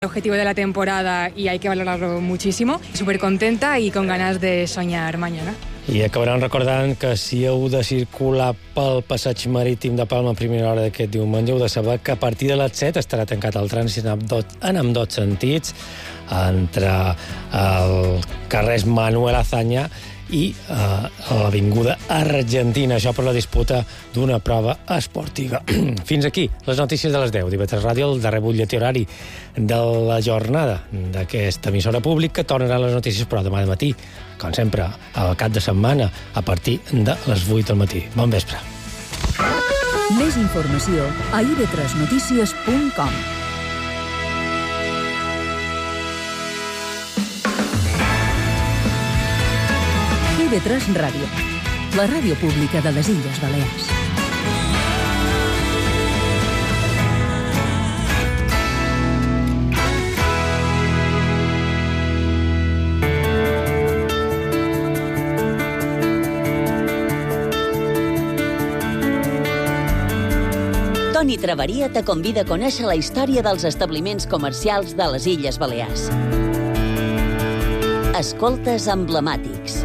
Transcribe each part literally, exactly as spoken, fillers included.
El objetivo de la temporada y hay que valorarlo muchísimo. Súper contenta y con ganas de soñar mañana. I acabaran recordant que si heu de circular pel passeig marítim de Palma a primera hora d'aquest diumenge, heu de saber que a partir de les set estarà tancat el trànsit en ambdós sentits entre el carrer Manuel Azaña i uh, l'avinguda Argentina, això per la disputa d'una prova esportiva. Fins aquí les notícies de les deu d'I V tres Ràdio, el darrer butlletí horari de la jornada d'aquesta emissora pública. Tornaran les notícies, però demà de matí, com sempre, al cap de setmana, a partir de les vuit del matí. Bon vespre. Més informació a i ve tres notícies punt com. I ve tres Ràdio, la ràdio pública de les Illes Balears. Toni Traveria te convida a conèixer la història dels establiments comercials de les Illes Balears. Escoltes emblemàtics.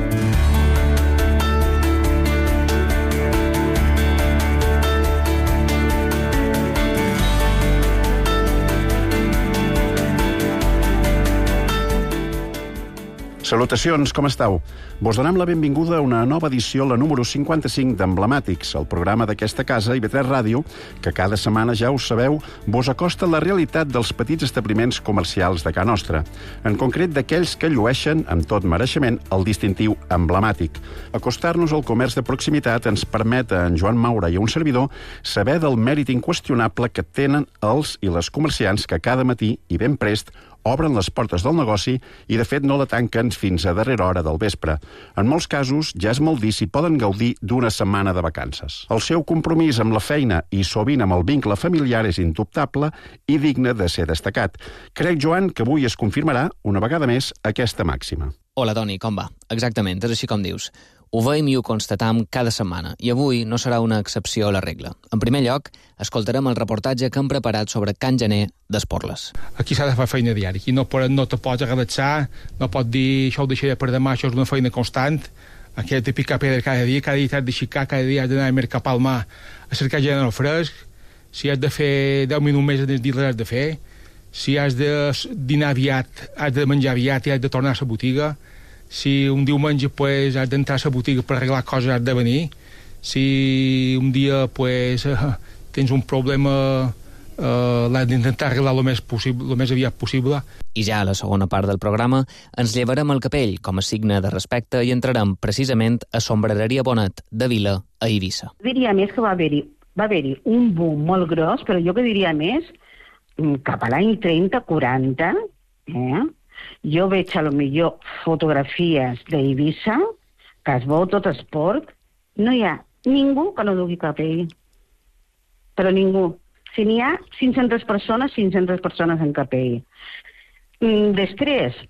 Salutacions, com esteu? Vos donem la benvinguda a una nova edició, la número cinquanta-cinc d'Emblemàtics, el programa d'aquesta casa, I V tres Ràdio, que cada setmana, ja ho sabeu, vos acosta la realitat dels petits establiments comercials de casa nostra, en concret d'aquells que llueixen, amb tot mereixement, el distintiu emblemàtic. Acostar-nos al comerç de proximitat ens permet a en Joan Maura i a un servidor saber del mèrit inqüestionable que tenen els i les comerciants que cada matí, i ben prest, obren les portes del negoci i, de fet, no la tanquen fins a darrera hora del vespre. En molts casos, ja és molt dir si poden gaudir d'una setmana de vacances. El seu compromís amb la feina i sovint amb el vincle familiar és indubtable i digne de ser destacat. Crec, Joan, que avui es confirmarà, una vegada més, aquesta màxima. Hola, Toni, com va? Exactament, és així com dius. Ho veiem i ho constatam cada setmana, i avui no serà una excepció a la regla. En primer lloc, escoltarem el reportatge que hem preparat sobre Can Gener d'Esporles. Aquí s'ha de fer feina diària, aquí no, no te pots agradar, no pots dir això ho deixaré per demà, això és una feina constant, aquí has de picar pedra cada dia, cada dia has d'aixecar, cada dia has d'anar a mercar Palma a cercar gent al fresc, si has de fer deu minuts més en el dia l'has de fer, si has de dinar aviat, has de menjar aviat i has de tornar a la botiga, si un diumenge pues, has d'entrar a la botiga per arreglar coses, has de venir. Si un dia pues, tens un problema, eh, l'has d'intentar arreglar el més, possible, el més aviat possible. I ja a la segona part del programa ens llevarem el capell com a signe de respecte i entrarem precisament a Sombrereria Bonet de Vila, a Eivissa. Diria més que va haver-hi va haver-hi un boom molt gros, però jo que diria més, cap a l'any trenta quaranta, eh? Jo veig a lo millor fotografies d'Eivissa, que es veu tot esport, no hi ha ningú que no dugui capell. Però ningú. Si n'hi ha cinc-centes persones, cinc-centes persones en capell. Després,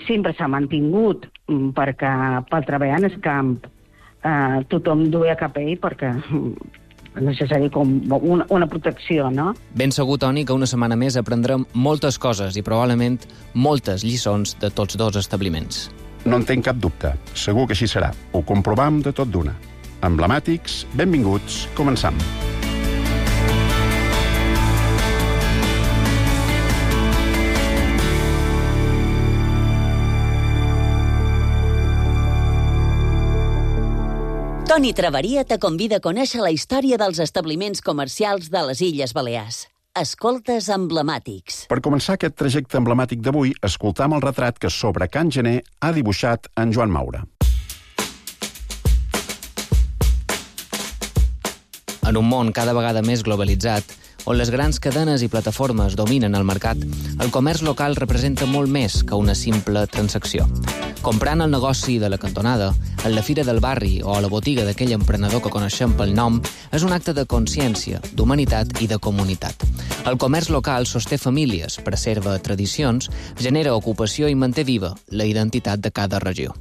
sempre s'ha mantingut, perquè pel treball en el camp eh, tothom duia capell perquè necessari com una, una protecció, no? Ben segur, Toni, que una setmana més aprendrem moltes coses i probablement moltes lliçons de tots dos establiments. No en tenc cap dubte. Segur que així serà. Ho comprovam de tot d'una. Emblemàtics, benvinguts, començam. Toni Traveria te convida a conèixer la història dels establiments comercials de les Illes Balears. Escoltes emblemàtics. Per començar aquest trajecte emblemàtic d'avui, escoltam el retrat que sobre Can Gener ha dibuixat en Joan Maura. En un món cada vegada més globalitzat, on les grans cadenes i plataformes dominen el mercat, el comerç local representa molt més que una simple transacció. Comprant el negoci de la cantonada, en la fira del barri o a la botiga d'aquell emprenedor que coneixem pel nom, és un acte de consciència, d'humanitat i de comunitat. El comerç local sosté famílies, preserva tradicions, genera ocupació i manté viva la identitat de cada regió.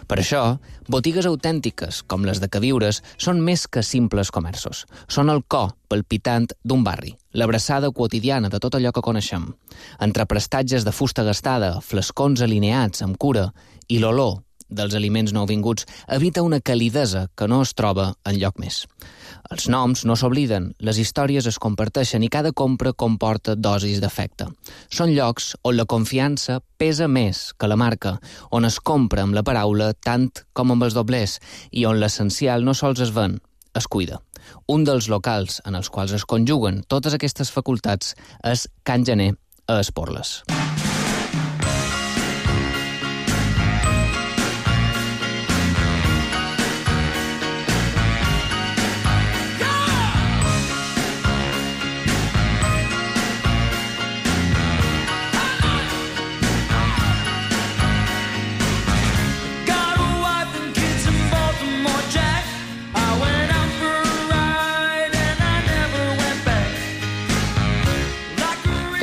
Per això, botigues autèntiques, com les de Queviures, són més que simples comerços. Són el cor palpitant d'un barri, l'abraçada quotidiana de tot allò que coneixem. Entre prestatges de fusta gastada, flascons alineats amb cura i l'olor dels aliments nouvinguts, evita una calidesa que no es troba enlloc més. Els noms no s'obliden, les històries es comparteixen i cada compra comporta dosis d'afecte. Són llocs on la confiança pesa més que la marca, on es compra amb la paraula tant com amb els doblers i on l'essencial no sols es ven, es cuida. Un dels locals en els quals es conjuguen totes aquestes facultats és Can Gener a Esporles.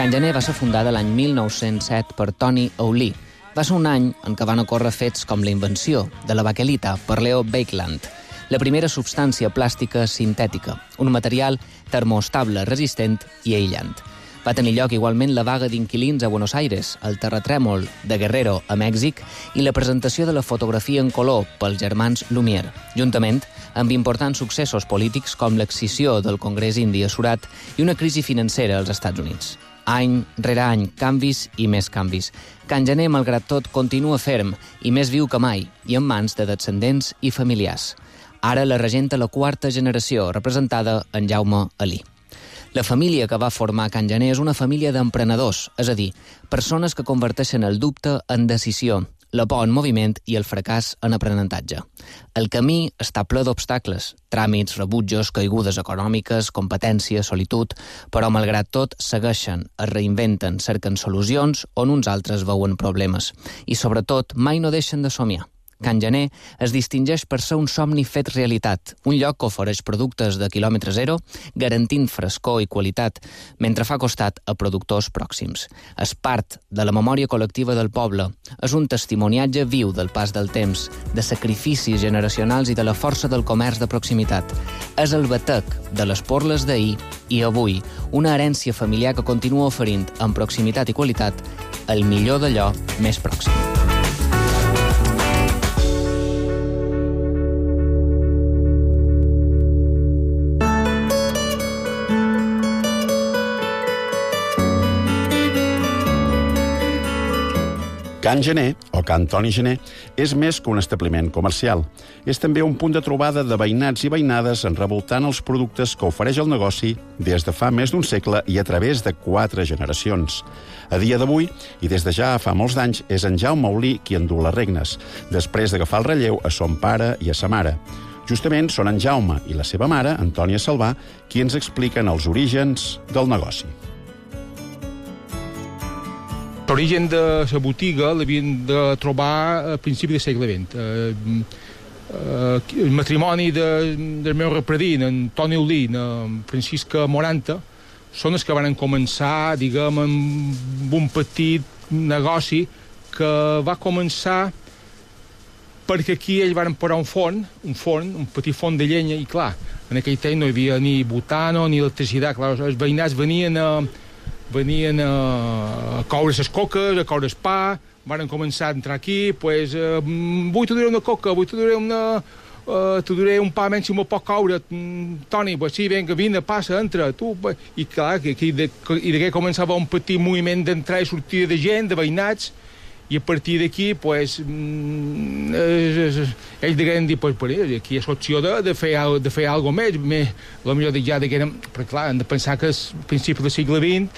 Can Gener va ser fundada l'any mil nou-cents set per Tony Aulí. Va ser un any en què van ocórrer fets com la invenció de la baquelita per Leo Baekeland, la primera substància plàstica sintètica, un material termoestable, resistent i aïllant. Va tenir lloc igualment la vaga d'inquilins a Buenos Aires, el terratrèmol de Guerrero a Mèxic i la presentació de la fotografia en color pels germans Lumière, juntament amb importants successos polítics com l'excisió del Congrés Indi a Surat i una crisi financera als Estats Units. Any rere any, canvis i més canvis. Can Gener, malgrat tot, continua ferm i més viu que mai, i en mans de descendents i familiars. Ara la regenta la quarta generació, representada en Jaume Alí. La família que va formar Can Gener és una família d'emprenedors, és a dir, persones que converteixen el dubte en decisió, la por en moviment i el fracàs en aprenentatge. El camí està ple d'obstacles, tràmits, rebutjos, caigudes econòmiques, competència, solitud, però malgrat tot segueixen, es reinventen, cerquen solucions on uns altres veuen problemes i sobretot mai no deixen de somiar. Can Gener es distingeix per ser un somni fet realitat, un lloc que ofereix productes de quilòmetre zero, garantint frescor i qualitat, mentre fa costat a productors pròxims. És part de la memòria col·lectiva del poble, és un testimoniatge viu del pas del temps, de sacrificis generacionals i de la força del comerç de proximitat. És el batec de les porles d'ahir i avui, una herència familiar que continua oferint, amb proximitat i qualitat, el millor d'allò més pròxim. Can Gener, o Can Toni Gener, és més que un establiment comercial. És també un punt de trobada de veïnats i veïnades enrevoltant els productes que ofereix el negoci des de fa més d'un segle i a través de quatre generacions. A dia d'avui, i des de ja fa molts d'anys, és en Jaume Aulí qui endú les regnes, després d'agafar el relleu a son pare i a sa mare. Justament són en Jaume i la seva mare, Antònia Salvà, qui ens expliquen els orígens del negoci. L'origen de la botiga l'havien de trobar a principi del segle vint. Eh, eh, el matrimoni de, del meu repredint, en Toni Aulí, en Francisca Moranta, són els que van començar, diguem, amb un petit negoci que va començar perquè aquí ells van posar un forn, un forn, un petit forn de llenya, i clar, en aquell temps no hi havia ni butano ni electricitat, clar, els veïnats venien a venien a coure les coques, a coure el pa, van començar a entrar aquí, pues, eh, vull t'ho duré una coca, vull t'ho duré una... Uh, t'ho duré un pa menys si m'ho pot coure, Toni, pues sí, vinga, vine, passa, entra, tu... I clar, que, que, de, i d'aquí començava un petit moviment d'entrada i sortida de gent, de veïnats, i a partir d'aquí, pues, mm, eh, ells degueren dir, pues, aquí és l'opció de, de fer, de fer alguna més, més, potser ja degueren... Però clar, hem de pensar que al principi del segle vint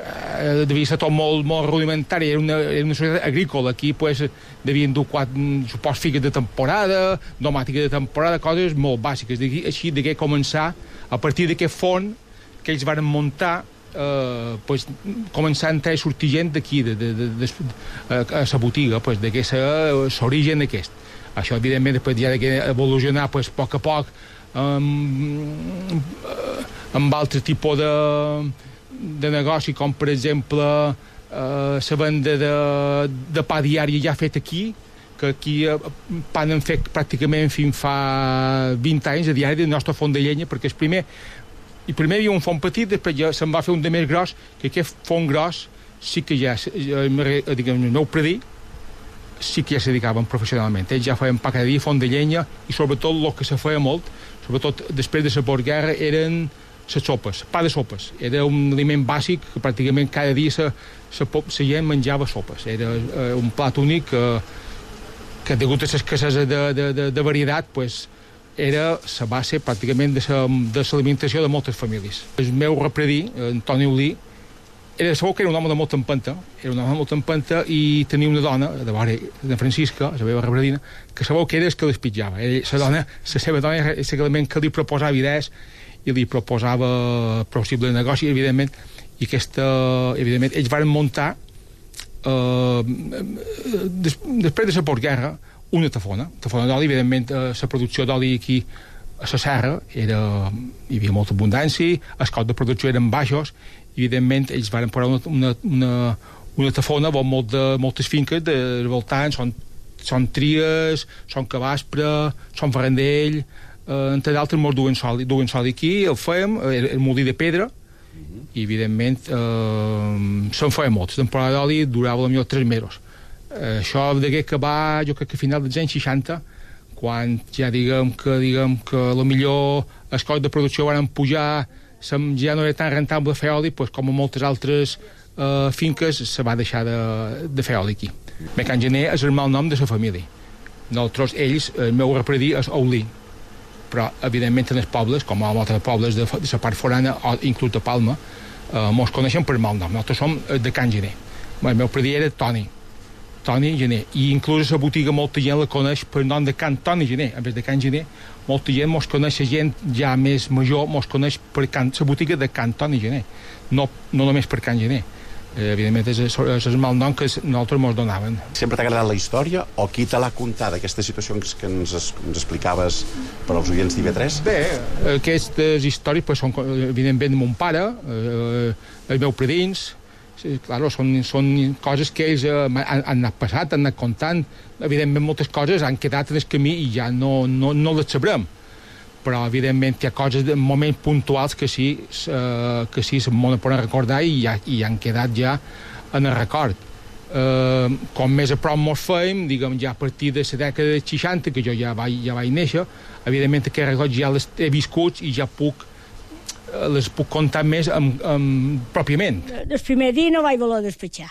eh, devia ser tot molt, molt rudimentari, era una, era una societat agrícola, aquí pues, devien dur quatre, supos, figues de temporada, domàtica de temporada, coses molt bàsiques. D'aquí, així degué començar, a partir d'aquest font que ells van muntar, eh, pues, començar a entrar i sortir gent d'aquí, de, de, de, de, a la botiga, pues, d'aquest l'origen d'aquest. Això, evidentment, després ja degué evolucionar pues, a poc a poc amb, amb altres tipus de de negoci, com per exemple eh, la venda de, de pa diari ja fet aquí, que aquí eh, han fet pràcticament fins fa vint anys a diari del nostre font de llenya, perquè el primer, i primer hi havia un font petit, després ja se'n va fer un de més gros, que aquest font gros sí que ja, diguem, el meu predí, sí que ja se dedicaven professionalment. Ells ja feien pa cada dia, font de llenya, i sobretot el que se feia molt, sobretot després de la postguerra, eren les sopes, pa de sopes. Era un aliment bàsic que pràcticament cada dia la gent menjava sopes. Era eh, un plat únic que, que degut a l'escassesa de, de, de, de varietat, pues, era la base pràcticament de l'alimentació de, de moltes famílies. El meu repredí, Antoni Olí, era segur que era un home de molta empenta, era un home de molta empenta i tenia una dona, de vora, de Francisca, la meva repredina, que sabeu que era el que despitjava. La dona, la seva dona era el que li proposava idees i li proposava possible negoci, evidentment, i aquesta, evidentment, ells van muntar eh, des, després de la postguerra una tafona, tafona d'oli, evidentment, eh, la producció d'oli aquí a la serra era, hi havia molta abundància, els costs de producció eren baixos, evidentment, ells van posar una, una, una, una tafona amb molt de, moltes finques de voltant, són, són Tries, són Cabaspre, són Ferrandell, eh, entre d'altres molts duen sol, duen sol aquí, el fèiem, el, el molí de pedra, i evidentment eh, se'n feien molts. La temporada d'oli durava potser tres mesos. Eh, això degué acabar, jo crec que a final dels anys seixanta, quan ja diguem que, diguem que a lo millor els costs de producció van pujar, ja no era tan rentable fer oli, doncs, com a moltes altres eh, finques se va deixar de, de fer oli aquí. Mecan Gener és el mal nom de la família. Nosaltres, ells, el meu repredí és Olí, però evidentment en els pobles, com a molts pobles de, de la part forana, o inclús de Palma, eh, mos coneixen per mal nom. Nosaltres som de Can Gener. El meu predí era Toni, Toni Gener, i inclús a la botiga molta gent la coneix per nom de Can Toni Gener, en vez de Can Gener. Molta gent mos coneix, la gent ja més major mos coneix per can, la botiga de Can Toni Gener, no, no només per Can Gener. Eh, evidentment és, és el mal nom que nosaltres mos donaven. Sempre t'ha agradat la història o qui te l'ha contat, aquesta situació que ens, ens explicaves per als oients d'I V tres? Bé, aquestes històries pues, són evidentment de mon pare, eh, els meus predins, claro, són, són coses que ells eh, han, han anat passat, han anat contant. Evidentment moltes coses han quedat en el camí i ja no, no, no les sabrem, però evidentment hi ha coses de moments puntuals que sí eh, que sí se'n poden recordar i, ja, i han quedat ja en el record. Eh, com més a prop mos feim, diguem, ja a partir de la dècada de seixanta, que jo ja vaig, ja vaig néixer, evidentment aquests records ja les he viscut i ja puc les puc contar més amb, amb, pròpiament. El primer dia no vaig voler despatxar,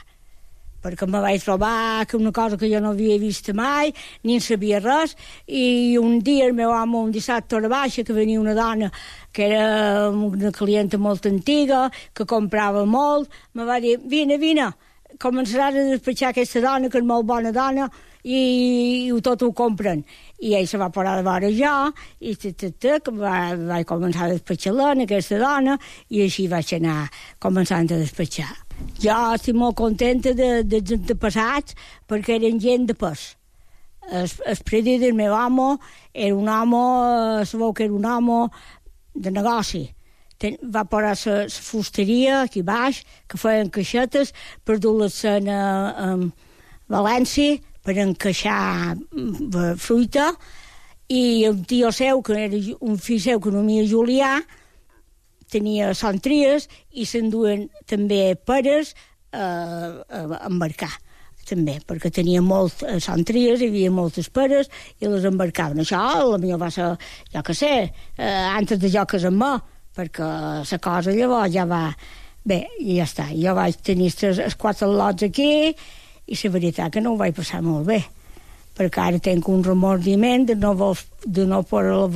perquè me vaig trobar que una cosa que jo no havia vist mai, ni en sabia res, i un dia el meu amo, un dissabte a la baixa, que venia una dona que era una clienta molt antiga, que comprava molt, me va dir, vine, vine, començaràs a despatxar aquesta dona, que és molt bona dona, i, i tot ho compren. I ell se va parar de veure jo, i t -t -t, que va, vaig començar a despatxar-la, aquesta dona, i així vaig anar començant a despatxar. Jo estic molt contenta de, de, de passats, perquè eren gent de pes. El, el predí del meu amo era un home, sabeu que era un home de negoci. Ten, va parar la fusteria aquí baix, que feien caixetes per dur-les a, a València, per encaixar fruita, i un tio seu, que era un fill seu que nomia Julià, tenia Sant Tries i s'enduen també peres a, a embarcar, també, perquè tenia molt a Sant Tries, hi havia moltes peres i les embarcaven. Això, potser va ser, jo què sé, eh, antes de jo casar-me, perquè la cosa llavors ja va... Bé, i ja està. Jo vaig tenir els quatre lots aquí, i la veritat que no ho vaig passar molt bé, perquè ara tinc un remordiment de no, vol, de no poder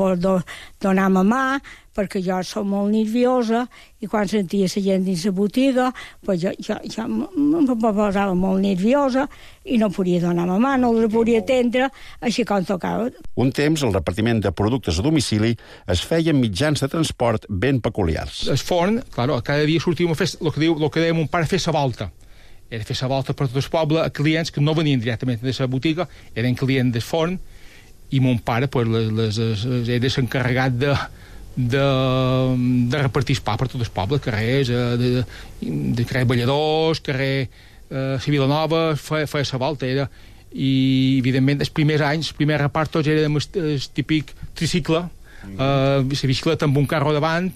donar-me mà, perquè jo soc molt nerviosa, i quan sentia la gent dins la botiga, pues jo, jo, jo em posava molt nerviosa i no podia donar-me mà, no la podia atendre, així com tocava. Un temps, el repartiment de productes a domicili es feia en mitjans de transport ben peculiars. El forn, claro, cada dia sortíem a fer, el que, diu, el que deia mon pare, fer la volta. Era fer la volta per tot el poble a clients que no venien directament de la botiga, eren clients del forn, i mon pare pues, les, les, les, era s'encarregat de, de, de repartir pa per tot el poble, carrers, de, de carrer Balladors, carrer eh, Civil Nova, feia, feia la volta. Era, i evidentment els primers anys, els primers repartos érem el, el típic tricicle, mm-hmm. uh, la bicicleta amb un carro davant.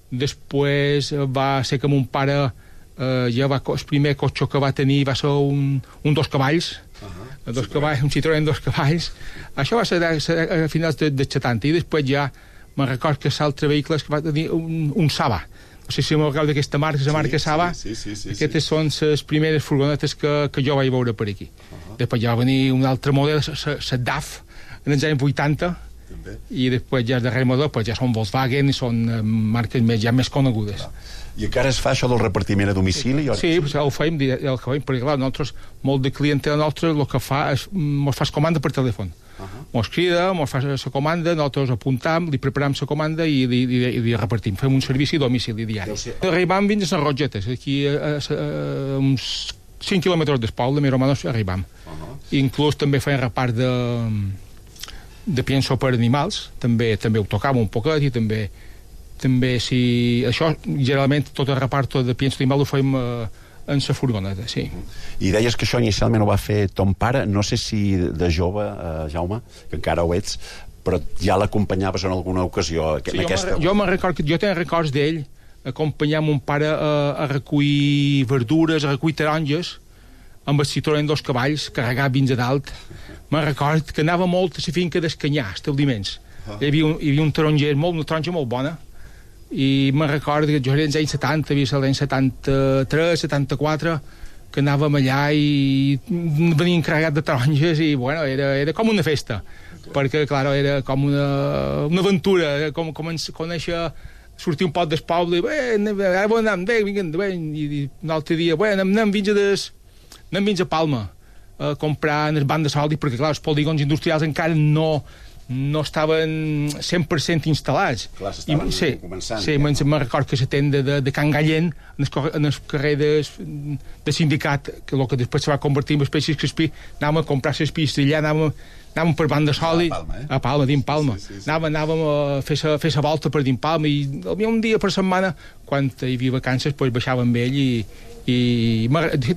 Després va ser que mon pare uh, ja va, el primer cotxe que va tenir va ser un, un dos cavalls, uh-huh. dos cavalls, un Citroën dos cavalls. Això va ser a, a finals de, de setanta, i després ja me'n record que l'altre vehicle que va tenir un, un Saba. No sé si m'ho recordeu d'aquesta marca, la marca sí, Saba. Sí, sí, sí, Aquestes sí. són les primeres furgonetes que, que jo vaig veure per aquí. Uh-huh. Després ja va venir un altre model, la D A F, en els anys vuitanta, també. I després ja el darrer model pues, ja són Volkswagen i són uh, marques més, ja més conegudes. Clar. I encara es fa això del repartiment a domicili? Sí, sí pues, el feim, el feim, perquè clar, nosaltres, molt de clientela nostra, el que fa és, mos fa comanda per telèfon. Uh-huh. Mos crida, mos fa la comanda, nosaltres apuntam, li preparam la comanda i li, li, li repartim. Fem un servici a domicili diari. Arribam fins a les Rogetes, aquí a, a, a uns cinc quilòmetres del poble, més o menys arribam. Uh-huh. Inclús també feien repart de, de pienso per animals, també també ho tocàvem un poquet i també, també si... Això, generalment, tot el repart de pienso d'animal ho fem... Eh, en la furgoneta, sí. I deies que això inicialment ho va fer ton pare, no sé si de jove, eh, Jaume, que encara ho ets, però ja l'acompanyaves en alguna ocasió en sí, aquesta... Jo, me record, jo tenia records d'ell acompanyar mon pare a, a recollir verdures, a recollir taronges amb el Citroën dos cavalls, carregat fins a dalt. Me record que anava molt a la finca d'Escanyà, establiments. Uh -huh. Hi havia un, hi havia un taronger, molt, una taronja molt bona, i me'n recordo que jo era als anys setanta, havia estat l'any setanta-tres, setanta-quatre, que anàvem allà i venien carregat de taronges i, bueno, era, era com una festa, perquè, clar, era com una, una aventura, com, com ens conèixer, sortir un pot del poble, i, bé, ara bon anem, bé, vinguem, bé, i un altre dia, bé, anem, anem fins a des, anem fins a Palma, a comprar en el banc de soldi, perquè, clar, els polígons industrials encara no... no estaven cent per cent instal·lats. Clar, s'estaven sí, començant. Sí, me'n me record que la tenda de, de Can Gallent, en el, en el carrer de, de sindicat, que el que després se va convertir en espècies Crespí, anàvem a comprar les pistes allà, anàvem, anàvem per banda sòlid, a Palma, eh? a Palma, dins Palma. Sí, sí, sí. Anàvem, anàvem a fer la fer volta per dins Palma, i un dia per setmana, quan hi havia vacances, pues, baixava amb ell i i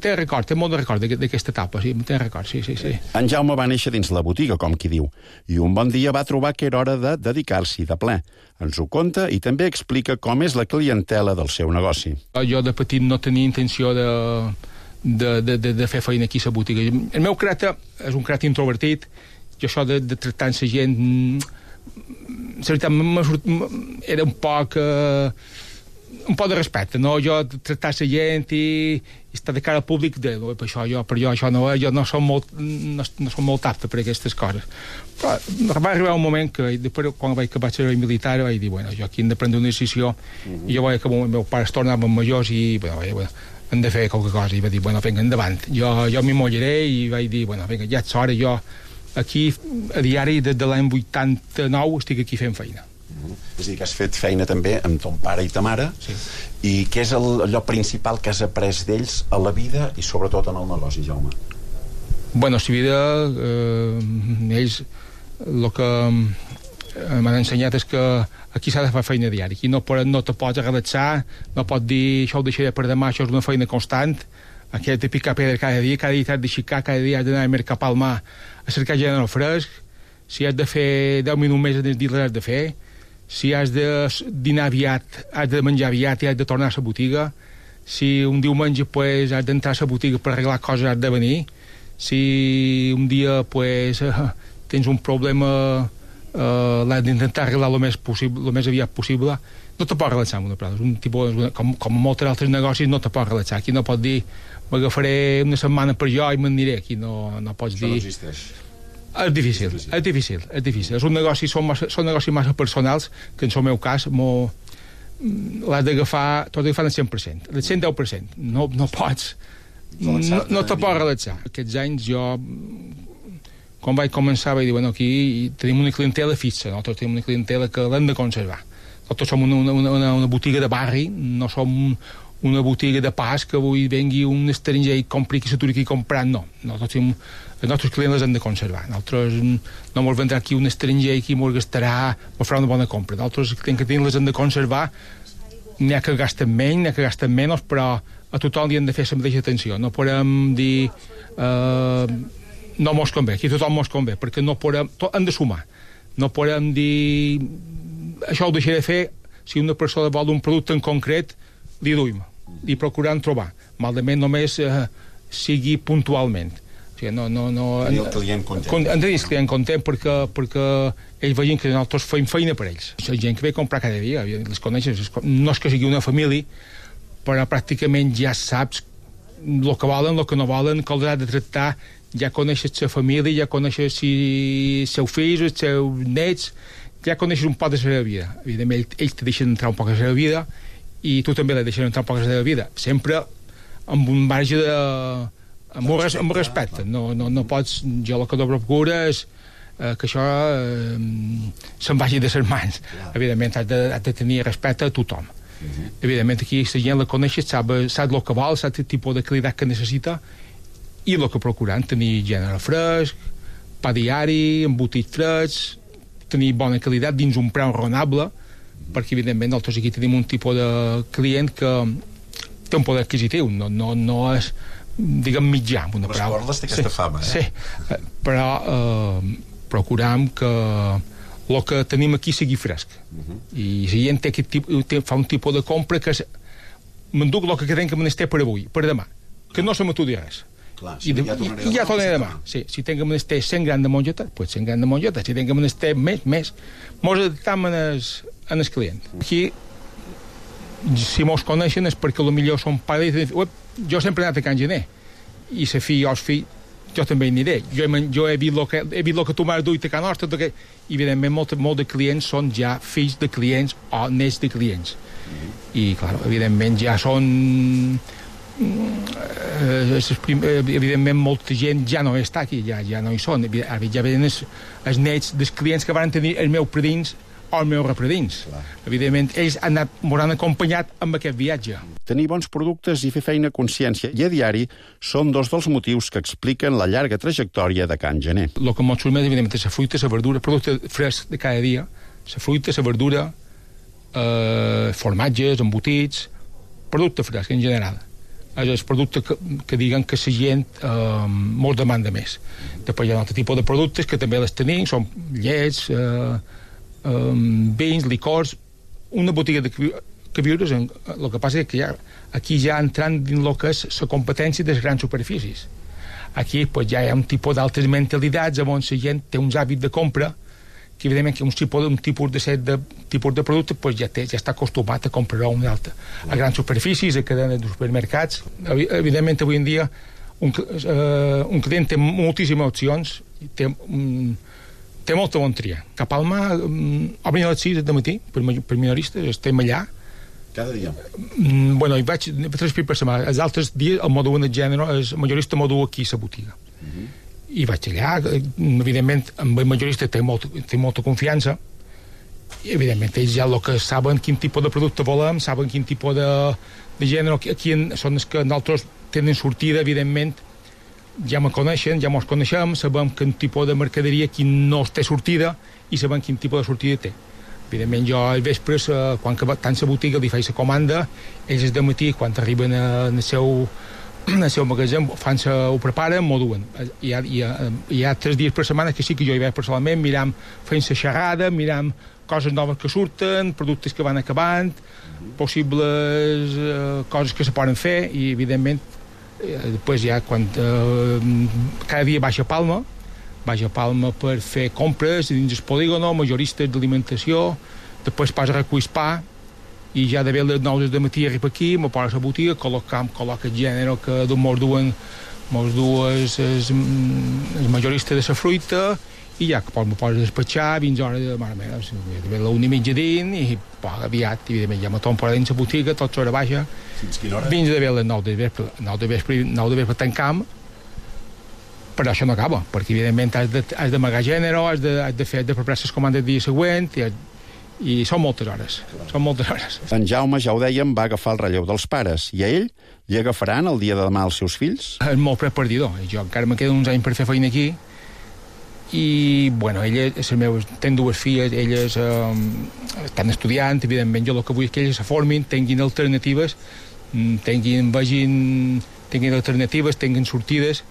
té record, té molt de record d'aquesta etapa, sí, té record, sí, sí, sí. En Jaume va néixer dins la botiga, com qui diu, i un bon dia va trobar que era hora de dedicar-s'hi de ple. Ens ho conta i també explica com és la clientela del seu negoci. Jo de petit no tenia intenció de, de, de, de, de fer feina aquí a la botiga. El meu caràcter és un caràcter introvertit, jo això de, de tractar amb la gent, la veritat, era un poc... Eh, un poc de respecte, no? Jo tractar la gent i, i estar de cara al públic, de, per, això, jo, per jo això no, jo no som molt, no, no som molt apte per aquestes coses. Però va arribar un moment que, després, quan vaig acabar el servei militar, vaig dir, bueno, jo aquí hem de prendre una decisió, mm-hmm. i jo vaig que el meu pare es tornava majors i, bueno, vaig, bueno, hem de fer qualque cosa, i vaig dir, bueno, vinga, endavant. Jo, jo m'hi mollaré i vaig dir, bueno, vinga, ja és hora, jo aquí, a diari, des de l'any vuitanta-nou, estic aquí fent feina. És a dir, que has fet feina també amb ton pare i ta mare, sí. I què és el, allò principal que has après d'ells a la vida i sobretot en el negoci, Jaume? Bueno, a la vida, eh, ells el que m'han ensenyat és que aquí s'ha de fer feina diària, aquí no, no te pots relaxar, no pots dir això ho deixaré per demà, això és una feina constant, aquí has de picar pedra cada dia, cada dia t'has d'aixecar, cada dia has d'anar a mercar pel mar a cercar gent en el fresc, si has de fer deu minuts més en el dia l'has de fer, si has de dinar aviat, has de menjar aviat i has de tornar a la botiga, si un diumenge pues, has d'entrar a la botiga per arreglar coses, has de venir, si un dia pues, uh, tens un problema, uh, l'has d'intentar arreglar el més, possible, el més aviat possible, no te pots relaxar amb una prova. Un tipus, com, com molts altres negocis, no te pots relaxar. Aquí no pots dir, m'agafaré una setmana per jo i m'aniré. Aquí no, no pots Això dir... no existeix. És difícil, és difícil, és difícil, és difícil. És un negoci, són, massa, són negocis massa personals, que en el meu cas l'has d'agafar, t'ho has d'agafar al cent per cent, al cent deu per cent. No, no pots, no, no te pots relaxar. Aquests anys jo, quan vaig començar, vaig dir, bueno, aquí tenim una clientela fixa, nosaltres tenim una clientela que l'hem de conservar. Nosaltres som una, una, una, una botiga de barri, no som una botiga de pas que avui vengui un estranger i compri qui s'aturi aquí comprant, no. Nosaltres tenim, els nostres clients les hem de conservar. Nosaltres no ens vendrà aquí un estranger i qui ens gastarà, ens farà una bona compra. Nosaltres que tenim les hem de conservar, n'hi ha que gasten menys, n'hi ha que gasten menys, però a tothom li hem de fer la mateixa atenció. No podem dir... Eh, no mos convé, aquí tothom mos convé, perquè no podem, to, hem de sumar. No podem dir això ho deixaré de fer si una persona vol un producte en concret, li duim, i procurant trobar. Malament només eh, sigui puntualment. O sigui, no, no, no, tenir el client content. Con, hem de dir el client content perquè, perquè ells vegin que nosaltres fem feina per ells. La gent que ve a comprar cada dia, les coneixes, no és que sigui una família, però pràcticament ja saps el que volen, el que no volen, que els ha de tractar, ja coneixes la família, ja coneixes si els seus fills, els seus nets, ja coneixes un poc de la seva vida. Evidentment, ells te deixen entrar un poc a la seva vida i tu també la deixes entrar un poc a la seva vida. Sempre amb un marge de... amb un, res, amb un respecte. No, no, no pots... Jo el que no procuro és eh, que això eh, se'n vagi de les mans. Evidentment, has de, has de tenir respecte a tothom. Uh-huh. Evidentment, aquí la gent la coneixes, sap, sap el que vol, sap el tipus de qualitat que necessita i el que procurant, tenir gènere fresc, pa diari, embotits frescs, tenir bona qualitat dins un preu raonable, perquè evidentment nosaltres aquí tenim un tipus de client que té un poder adquisitiu, no, no, no és, diguem, mitjà. Una les cordes té aquesta sí, fama, eh? Sí, però eh, procuram que el que tenim aquí sigui fresc. Uh-huh. I la gent té aquest tipus, té, fa un tipus de compra que m'enduc el que quedem que me n'esté per avui, per demà, que no se m'atudi res. Clar, sí, I, de, ja i, i ja tornaré demà. Sí, si tinc que menester cent grans de mongeta, pues cent grans de mongeta. Si tinc que menester més, més. Mos adaptam en el, en el client. Aquí, si mos coneixen és perquè potser són pares i diuen, jo sempre he anat a Can Gener i la fi, jo el fill, jo també hi aniré. Jo he, jo he vist el que, he vist que tu m'has duit a Can Nostra, que... i evidentment molt, molt de clients són ja fills de clients o nets de clients. Mm-hmm. I, clar, evidentment ja són... evidentment molta gent ja no està aquí, ja, ja no hi són, ja venen els, els nets dels clients que van tenir els meus predins o els meus repredins. Clar. Evidentment ells han anat, m'ho han acompanyat amb aquest viatge. Tenir bons productes i fer feina a consciència i a diari són dos dels motius que expliquen la llarga trajectòria de Can Gener. El que m'ho surt més, evidentment, és la fruita, la verdura, producte fresc de cada dia, la fruita, la verdura, eh, formatges, embotits, producte fresc en general. És el producte que, que diguen que la gent eh, molt demanda més. Després hi ha un altre tipus de productes que també les tenim, són llets, eh, eh, vins, licors, una botiga de queviures. El que passa és que ja, aquí ja entrant dins el que és la competència de les grans superfícies. Aquí pues, ja hi ha un tipus d'altres mentalitats on la gent té uns hàbits de compra que evidentment que un tipus, un tipus de set de tipus de producte pues, ja, té, ja està acostumat a comprar un altre. A grans superfícies, a cadenes de supermercats. Evidentment, avui en dia, un, uh, un client té moltíssimes opcions, té, um, té molta bon tria. Cap al mar, um, obrin a les sis de matí, per, per minoristes, estem allà. Cada dia? Um, bueno, hi vaig tres per setmana. Els altres dies, el modu en el gènere, el majorista modu aquí a la botiga. Uh-huh. I vaig allà, evidentment amb el majorista té, molt, té molta confiança i evidentment ells ja el que saben quin tipus de producte volem, saben quin tipus de, de gènere aquí són els que nosaltres tenen sortida, evidentment ja me coneixen, ja mos coneixem, sabem quin tipus de mercaderia qui no té sortida i sabem quin tipus de sortida té. Evidentment jo al vespre, quan tant la botiga li faig la comanda, ells de matí quan arriben al seu en el seu magatzem, fan ho preparen, m'ho duen. Hi ha, hi, ha, hi ha tres dies per setmana que sí que jo hi vaig personalment, miram fent la xerrada, miram coses noves que surten, productes que van acabant, possibles eh, coses que se poden fer, i evidentment eh, després ja quan eh, cada dia baix a Palma, baix a Palma per fer compres dins el polígono, majoristes d'alimentació, després pas a recull pa, i ja de les nou del matí arriba aquí, me posa a la botiga, col·loca, col·loca el gènere que mos duen, mos duen el majorista de la fruita, i ja que me posa a despatxar fins a hora de mare meva, de la una i mitja dins, i poc aviat, evidentment, ja me torno per dins la botiga, tot l'hora baixa, fins de les nou de vespre, nou de vespre, nou de vespre tancam, però això no acaba, perquè evidentment has de, has d'amagar gènere, has de, has de fer, has de preparar les comandes del dia següent, i has, i són moltes hores, són moltes hores. En Jaume, ja ho dèiem, va agafar el relleu dels pares, i a ell li agafaran el dia de demà els seus fills? És molt perdidor, jo encara me queden uns anys per fer feina aquí, i, bueno, ella, és el meu, ten dues filles, elles eh, estan estudiant, evidentment, jo el que vull és que elles se formin, tinguin alternatives, tinguin, vagin, tinguin alternatives, tinguin sortides,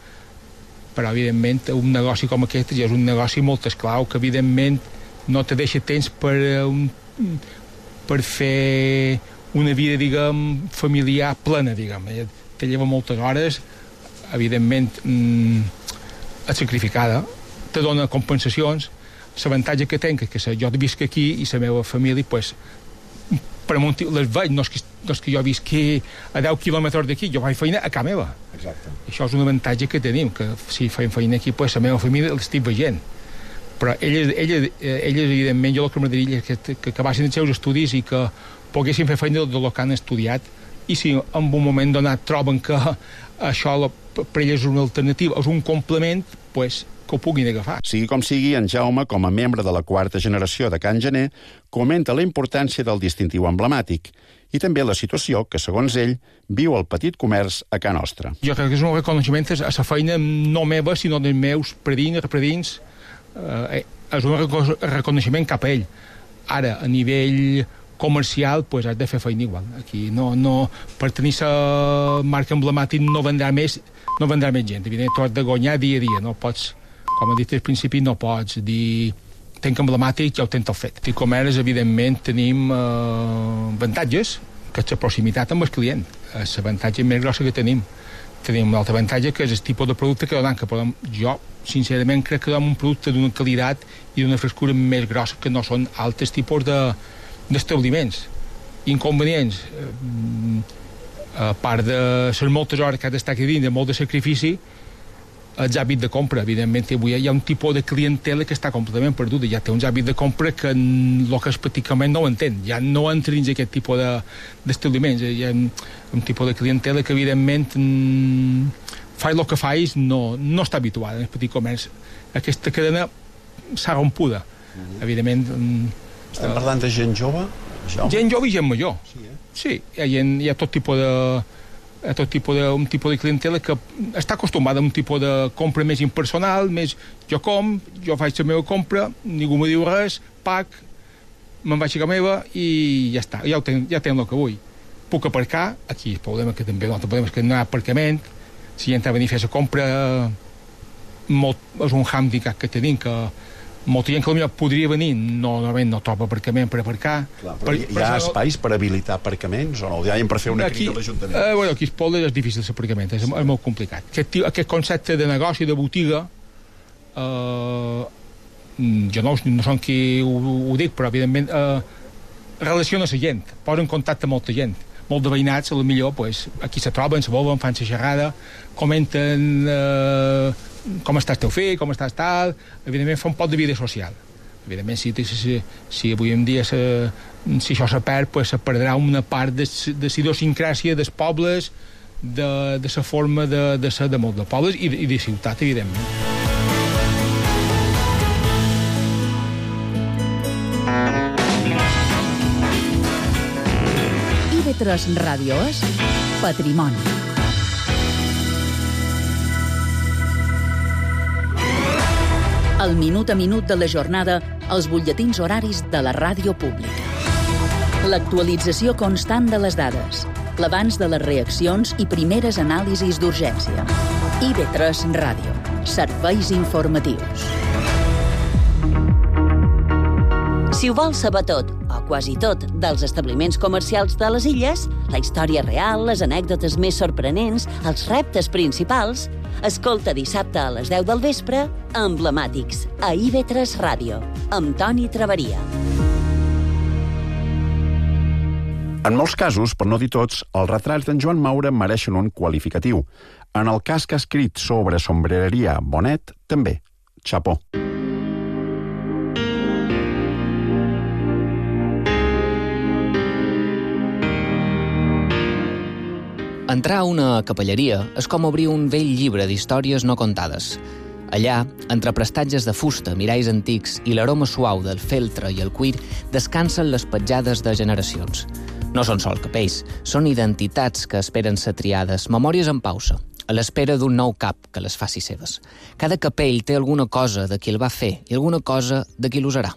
però, evidentment, un negoci com aquest ja és un negoci molt esclau, que, evidentment, no te deixa temps per, un, per fer una vida, diguem, familiar plena, diguem. Te lleva moltes hores, evidentment, mmm, sacrificada, te dona compensacions. L'avantatge que tenc és que jo visc aquí i la meva família, pues, per un motiu, les veig, no és, que, no és que jo visqui a deu quilòmetres d'aquí, jo faig feina a casa meva. Exacte. Això és un avantatge que tenim, que si faig feina aquí, pues, la meva família l'estic veient. Però elles, elles, elles evidentment, jo el que m'agradaria és que, que acabassin els seus estudis i que poguessin fer feina del que han estudiat, i si en un moment donat troben que això per elles és una alternativa, és un complement, pues, que ho puguin agafar. Sigui com sigui, en Jaume, com a membre de la quarta generació de Can Gener, comenta la importància del distintiu emblemàtic i també la situació que, segons ell, viu el petit comerç a Can Nostra. Jo crec que és un reconeixement a la feina no meva, sinó dels meus predins, repredins. Eh, és un reconeixement cap a ell. Ara, a nivell comercial, pues, has de fer feina igual. Aquí no, no, per tenir la marca emblemàtica no vendrà més, no vendrà més gent. Evidentment, tu has de guanyar dia a dia, no pots, com he dit al principi, no pots dir tenc emblemàtic, ja ho tens tot fet. I comerç, evidentment, tenim eh, avantatges, que és la proximitat amb el client. És l'avantatge més grossa que tenim. Tenim un altre avantatge, que és el tipus de producte que donem, que podem, jo, sincerament, crec que donem un producte d'una qualitat i d'una frescura més grossa que no són altres tipus de, d'establiments. Inconvenients, eh, a part de les moltes hores que has d'estar aquí dins, de molt de sacrifici, els hàbits de compra. Evidentment, avui hi ha un tipus de clientela que està completament perduda. Ja té uns hàbits de compra que el que és pràcticament no ho entén. Ja no entra dins aquest tipus de, d'establiments. Hi ha un tipus de clientela que, evidentment, fa el que fais, no, no està habituada en el petit comerç. Aquesta cadena s'ha rompuda. Mm-hmm. Evidentment... Estem parlant de gent jove? Jaume? Gent jove i gent major. Sí, eh? Sí, hi ha, hi ha tot tipus de... a tot tipus de, un tipus de clientela que està acostumada a un tipus de compra més impersonal, més jo com, jo faig la meva compra, ningú me diu res, pac, me'n vaig a casa meva i ja està, ja, ho ten, ja tenc el que vull. Puc aparcar, aquí el problema que també no, el problema és que no hi ha aparcament, si gent ha venir a fer la compra, molt, és un hàndicap que tenim, que molta gent que potser podria venir, no, normalment no troba aparcament per aparcar. Clar, però per, hi, hi ha per espais per habilitar aparcaments o no? Hi ha per fer una aquí, crida a l'Ajuntament? Eh, bueno, aquí a Espolda és difícil l'aparcament, és, és molt complicat. Aquest, aquest concepte de negoci, de botiga, eh, jo no, no som qui ho, ho dic, però evidentment eh, relaciona la gent, posa en contacte amb molta gent. Molt de veïnats, a la millor, pues, aquí se troben, se volen, fan la xerrada, comenten eh, com estàs teu fill, com estàs tal, evidentment fa un poc de vida social. Evidentment, si, si, si avui en dia se, si això se perd, pues, se perdrà una part de, de la idiosincràsia dels pobles, de, de la forma de, de ser de molts de pobles i de, i de ciutat, evidentment. I V tres Ràdio és Patrimoni. El minut a minut de la jornada als butlletins horaris de la ràdio pública. L'actualització constant de les dades, l'abans de les reaccions i primeres anàlisis d'urgència. I V tres Ràdio. Serveis informatius. Si ho vols saber tot, o quasi tot, dels establiments comercials de les illes, la història real, les anècdotes més sorprenents, els reptes principals, escolta dissabte a les deu del vespre Emblemàtics, a I V tres Ràdio, amb Toni Traveria. En molts casos, per no dir tots, els retrats d'en Joan Maura mereixen un qualificatiu. En el cas que ha escrit sobre sombrereria Bonet, també. Chapó. Entrar a una capelleria és com obrir un vell llibre d'històries no contades. Allà, entre prestatges de fusta, miralls antics i l'aroma suau del feltre i el cuir, descansen les petjades de generacions. No són sol capells, són identitats que esperen ser triades, memòries en pausa, a l'espera d'un nou cap que les faci seves. Cada capell té alguna cosa de qui el va fer i alguna cosa de qui l'usarà.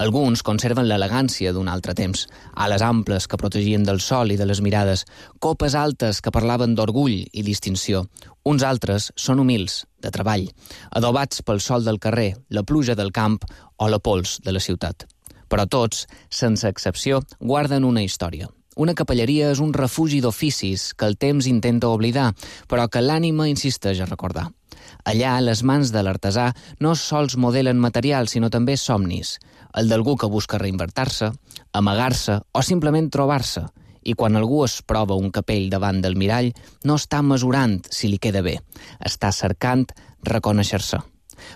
Alguns conserven l'elegància d'un altre temps, ales amples que protegien del sol i de les mirades, copes altes que parlaven d'orgull i distinció. Uns altres són humils, de treball, adobats pel sol del carrer, la pluja del camp o la pols de la ciutat. Però tots, sense excepció, guarden una història. Una capelleria és un refugi d'oficis que el temps intenta oblidar, però que l'ànima insisteix a recordar. Allà, les mans de l'artesà no sols modelen materials, sinó també somnis. El d'algú que busca reinventar-se, amagar-se o simplement trobar-se. I quan algú es prova un capell davant del mirall, no està mesurant si li queda bé. Està cercant reconèixer-se.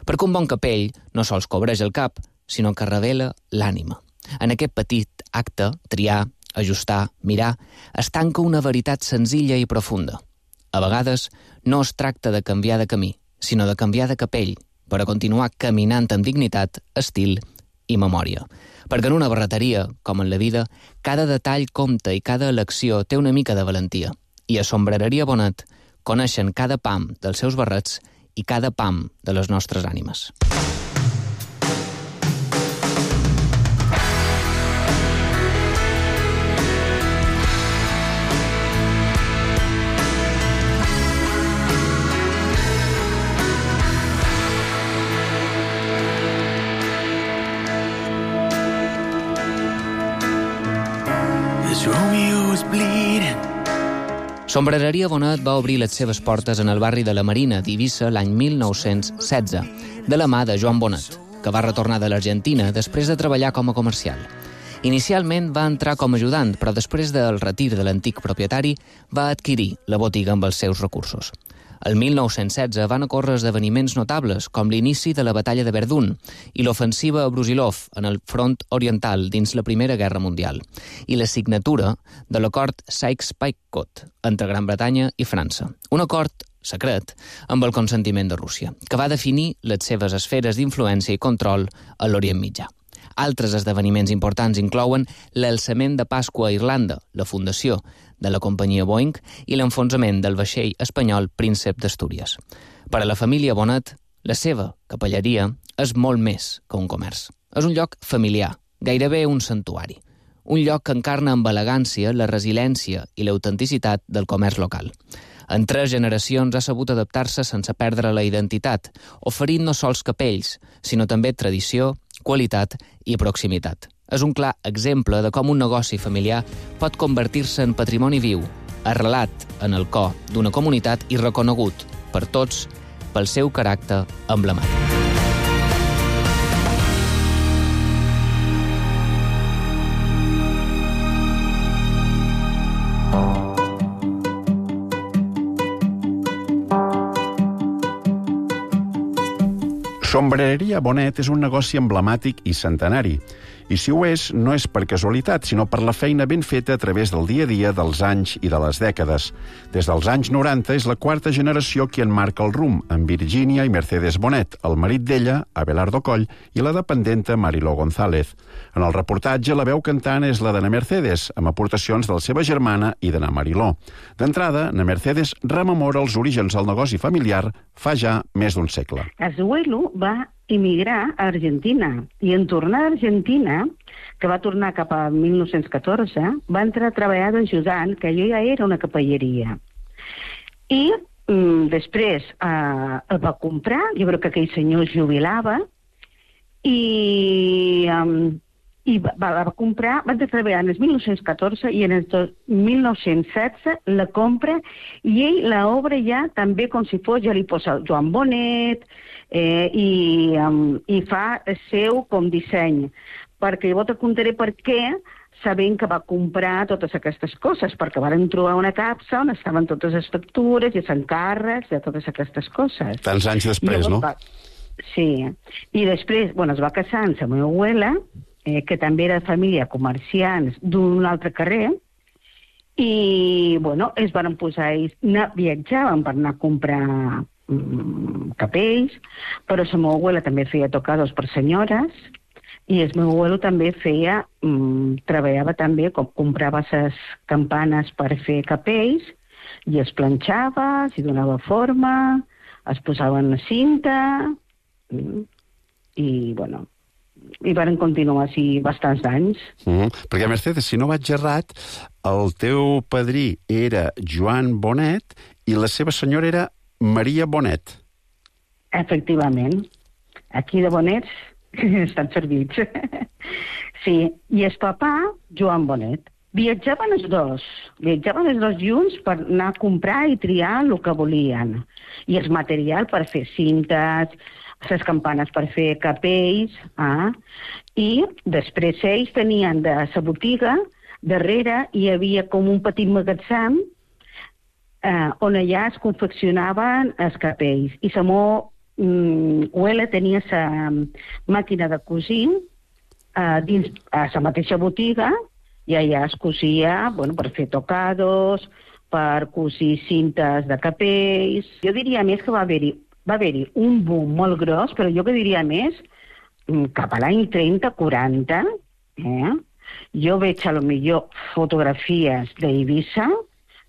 Perquè un bon capell no sols cobreix el cap, sinó que revela l'ànima. En aquest petit acte, triar, ajustar, mirar, es tanca una veritat senzilla i profunda. A vegades no es tracta de canviar de camí, sinó de canviar de capell, per a continuar caminant amb dignitat, estil i memòria. Perquè en una barreteria, com en la vida, cada detall compta i cada elecció té una mica de valentia. I a Sombrereria Bonet coneixen cada pam dels seus barrets i cada pam de les nostres ànimes. Sombrereria Bonet va obrir les seves portes en el barri de la Marina d'Eivissa l'any mil nou-cents setze, de la mà de Joan Bonet, que va retornar de l'Argentina després de treballar com a comercial. Inicialment va entrar com a ajudant, però després del retir de l'antic propietari va adquirir la botiga amb els seus recursos. El mil nou-cents setze van ocórrer esdeveniments notables, com l'inici de la batalla de Verdun i l'ofensiva a Brusilov en el front oriental dins la Primera Guerra Mundial, i la signatura de l'acord Sykes-Picot entre Gran Bretanya i França. Un acord secret amb el consentiment de Rússia, que va definir les seves esferes d'influència i control a l'Orient Mitjà. Altres esdeveniments importants inclouen l'alçament de Pasqua a Irlanda, la fundació de la companyia Boeing i l'enfonsament del vaixell espanyol Príncep d'Astúries. Per a la família Bonet, la seva capelleria és molt més que un comerç. És un lloc familiar, gairebé un santuari. Un lloc que encarna amb elegància la resiliència i l'autenticitat del comerç local. En tres generacions ha sabut adaptar-se sense perdre la identitat, oferint no sols capells, sinó també tradició, qualitat i proximitat. És un clar exemple de com un negoci familiar pot convertir-se en patrimoni viu, arrelat en el cor d'una comunitat i reconegut per tots pel seu caràcter emblemàtic. Sombrereria Bonet és un negoci emblemàtic i centenari. I si ho és, no és per casualitat, sinó per la feina ben feta a través del dia a dia dels anys i de les dècades. Des dels anys noranta és la quarta generació qui en marca el rumb, amb Virginia i Mercedes Bonet, el marit d'ella, Abelardo Coll, i la dependenta Mariló González. En el reportatge, la veu cantant és la d'Ana Mercedes, amb aportacions de la seva germana i de na Mariló. D'entrada, na Mercedes rememora els orígens del negoci familiar fa ja més d'un segle. Azuelo va emigrar a Argentina i en tornar a Argentina, que va tornar cap a mil nou-cents catorze, va entrar a treballar d'ajudant, que allò ja era una capelleria. I mm, després eh, el va comprar, jo crec que aquell senyor es jubilava, i, um, i va, va comprar, va entrar a treballar en el mil nou-cents catorze i en el mil nou-cents setze la compra i ell l'obra ja també com si fos, ja li posa Joan Bonet, Eh, i, um, i fa seu com disseny, perquè llavors et contaré per què, sabent que va comprar totes aquestes coses, perquè van trobar una capsa on estaven totes les factures i els encàrrecs de totes aquestes coses. Tants anys després, llavors, no? Va... Sí, i després, bueno, es va casar amb la meva abuela, eh, que també era de família comerciants d'un altre carrer, i, bueno, es van posar ells, viatjaven per anar a comprar capells, però la meva abuela també feia tocados per senyores i el meu abuelo també feia, mmm, treballava també, com comprava les campanes per fer capells i es planxava, s'hi donava forma, es posava en la cinta i, bueno, i van continuar així bastants anys. Mm, perquè, Mercedes, si no vaig errat, el teu padrí era Joan Bonet i la seva senyora era Maria Bonet. Efectivament. Aquí de Bonets estan servits. Sí, i el papà, Joan Bonet. Viatjaven els dos, viatjaven els dos junts per anar a comprar i triar el que volien. I el material per fer cintes, les campanes per fer capells, ah? I després ells tenien de la botiga, darrere hi havia com un petit magatzem eh, on allà es confeccionaven els capells. I la meva mm, abuela tenia la màquina de cosir eh, dins a la mateixa botiga, i allà es cosia, bueno, per fer tocados, per cosir cintes de capells. Jo diria més que va haver-hi va haver-hi un boom molt gros, però jo que diria més, cap a l'any trenta quaranta, eh? Jo veig a lo millor fotografies d'Eivissa,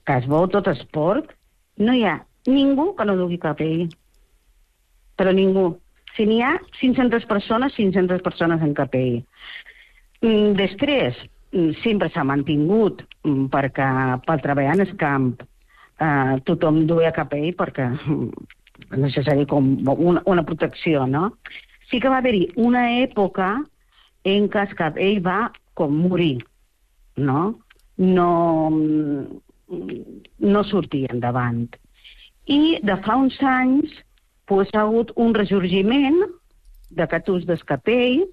que es veu tot esport, no hi ha ningú que no dugui capell. Però ningú. Si n'hi ha cinc-centes persones, cinc-centes persones en capell. Després, sempre s'ha mantingut, perquè per treballar en el camp eh, tothom duia capell, perquè és necessari com una, una protecció, no? Sí que va haver-hi una època en què el capell va com morir, no? No, no sortia endavant. I de fa uns anys pues, ha hagut un ressorgiment d'aquest ús del capell,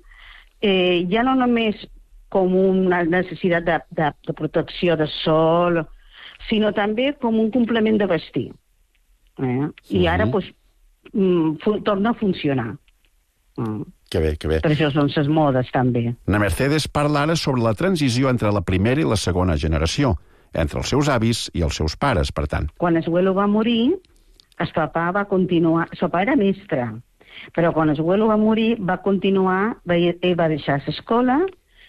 eh, ja no només com una necessitat de, de, de protecció de sol, sinó també com un complement de vestir. Eh? I uh-huh. ara pues, mm, torna a funcionar. Mm. Que bé, que bé. Per això són les modes, també. Na Mercedes parla ara sobre la transició entre la primera i la segona generació, entre els seus avis i els seus pares, per tant. Quan el abuelo va morir, el papà va continuar... El papà era mestre, però quan el abuelo va morir, va continuar... Ell va deixar l'escola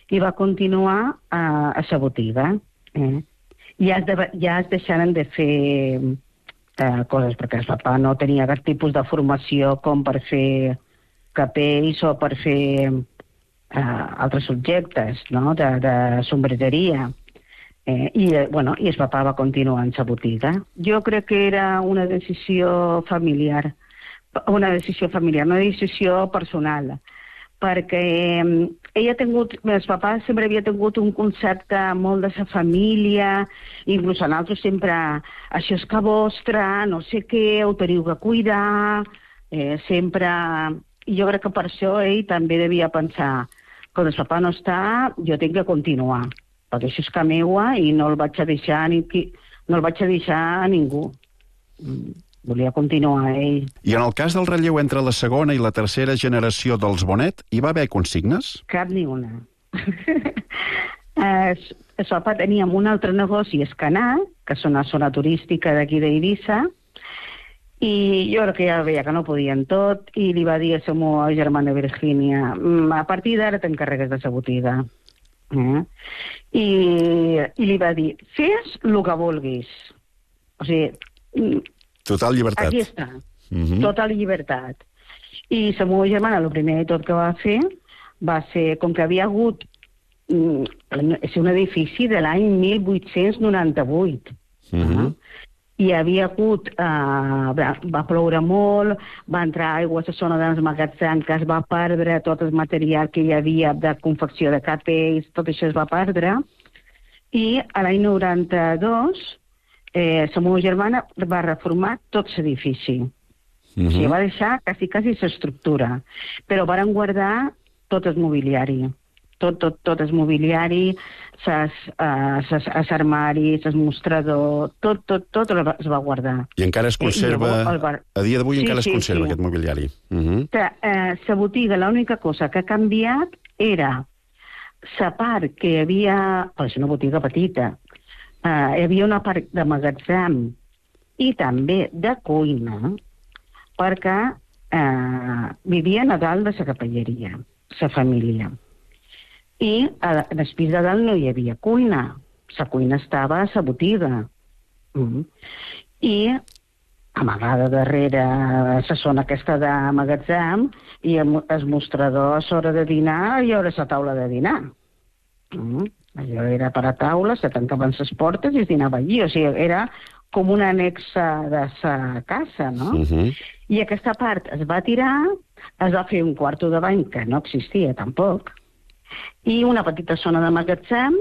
i va continuar a, a la botiga. Eh? Ja, es de, ja es deixaren de fer eh, coses, perquè el papà no tenia cap tipus de formació com per fer capells o per fer eh, altres subjectes, no? de, de sombreteria. Eh, i, bueno, I el papà va continuar en la botiga. Jo crec que era una decisió familiar, una decisió familiar, una decisió personal, perquè ell ha tingut, el papà sempre havia tingut un concepte molt de la família, inclús a nosaltres sempre, això és que vostre, no sé què, ho teniu que cuidar, eh, sempre... I jo crec que per això ell també devia pensar, quan el papà no està, jo tinc que continuar, perquè això és que meua i no el vaig a deixar a, ni, no el vaig a, deixar a ningú. Volia continuar ell. I en el cas del relleu entre la segona i la tercera generació dels Bonet, hi va haver consignes? Cap ni una. El, el papà teníem un altre negoci, Escanar, que és una zona turística d'aquí d'Eivissa, i jo crec que ja veia que no podien tot, i li va dir a la meva germana Virgínia, a partir d'ara t'encarregues de la botiga. Eh? I, I li va dir, fes el que vulguis. O sigui... Total llibertat. Aquí està, uh-huh. Total llibertat. I la meva germana, el primer de tot que va fer, va ser, com que havia hagut, és un edifici de l'any mil vuit-cents noranta-vuit. Uh-huh. Hi havia hagut, eh, va ploure molt, va entrar aigua a la zona dels magatzems, que es va perdre tot el material que hi havia de confecció de capells, tot això es va perdre, i a l'any noranta-dos eh, la meva germana va reformar tot l'edifici. Uh-huh. O sigui, va deixar quasi, quasi l'estructura, però van guardar tot el mobiliari. Tot, tot, tot el mobiliari, ses, uh, ses, els armaris, el mostrador, tot, tot, tot es va guardar. I encara es conserva, eh, bar... a dia d'avui sí, encara es sí, conserva sí. aquest mobiliari. Uh-huh. La uh, botiga, l'única cosa que ha canviat era la part que hi havia, és una botiga petita, uh, hi havia una part de magatzem i també de cuina, perquè uh, vivien a dalt de la capelleria, la família. I en el pis de dalt no hi havia cuina. La cuina estava a la botiga. Mm. I amagada darrere la zona aquesta de magatzem, i el mostrador a l'hora de dinar i a la taula de dinar. Mm. Allò era per a taula, se tancaven les portes i es dinava allí. O sigui, era com una anexa de la casa, no? Uh-huh. I aquesta part es va tirar, es va fer un quarto de bany, que no existia tampoc, i una petita zona de magatzem,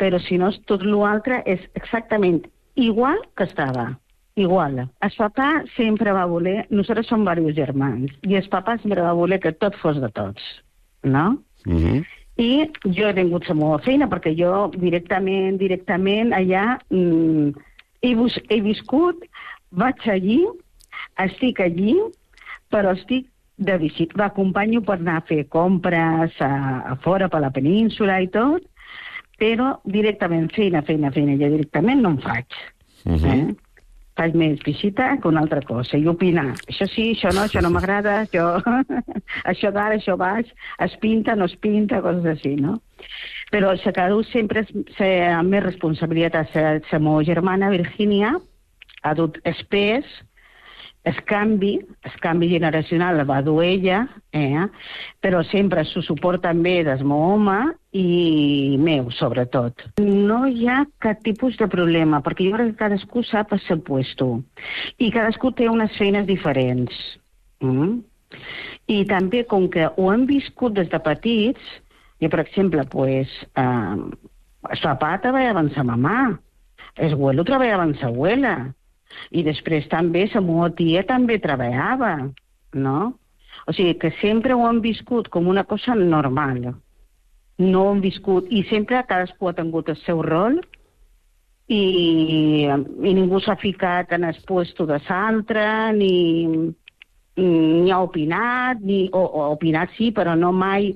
però si no, tot l'altre és exactament igual que estava. Igual. El papà sempre va voler... Nosaltres som diversos germans, i el papà sempre va voler que tot fos de tots, no? Uh-huh. I jo he tingut la meva feina, perquè jo directament, directament, allà mm, he, he viscut, vaig allí, estic allí, però estic de visita. L'acompanyo per anar a fer compres a, a fora, per la península i tot, però directament, feina, feina, feina, jo directament no en faig. Uh-huh. Eh? Faig més visita que una altra cosa, i opinar. Això sí, això no, això no m'agrada, això, això d'ara, això baix, es pinta, no es pinta, coses així, no? Però el que ha dut sempre és amb més responsabilitat. La meva germana, Virgínia, ha dut espès, el canvi, el canvi generacional el va dur ella, eh? Però sempre s'ho suport també del meu home i meu, sobretot. No hi ha cap tipus de problema, perquè jo crec que cadascú sap el seu puesto. I cadascú té unes feines diferents. Mm? I també, com que ho hem viscut des de petits, i per exemple, pues, eh, el papà treballava amb sa mamà, el abuelo treballava amb sa abuela, i després també la meva tia també treballava, no? O sigui que sempre ho hem viscut com una cosa normal. No ho hem viscut, i sempre cadascú ha tingut el seu rol i, i ningú s'ha ficat en el puesto de l'altre, ni, ni ha opinat, ni, o, o opinat sí, però no mai...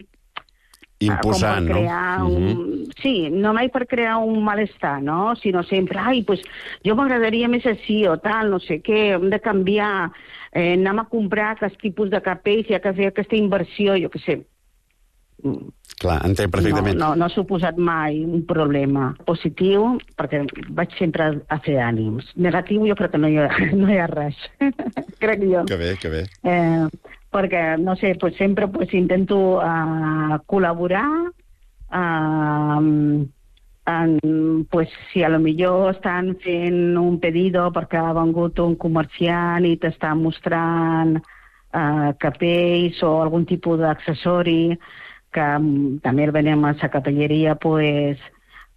Imposant, no? Un... Uh-huh. Sí, no mai per crear un malestar, no? Sinó sempre, ai, pues, jo m'agradaria més així o tal, no sé què, hem de canviar, eh, anem a comprar aquest tipus de capells, hi ha que fer aquesta inversió, jo què sé. Clar, entenc perfectament. No, no, no ha suposat mai un problema positiu, perquè vaig sempre a fer ànims. Negatiu jo crec que no hi ha, no hi ha res. Crec jo. Que bé, que bé. Eh, perquè, no sé, pues sempre pues, intento uh, col·laborar, uh, en, pues, si a lo millor estan fent un pedido perquè ha vengut un comerciant i t'està mostrant uh, capells o algun tipus d'accessori que um, també el venem a la capelleria, pues,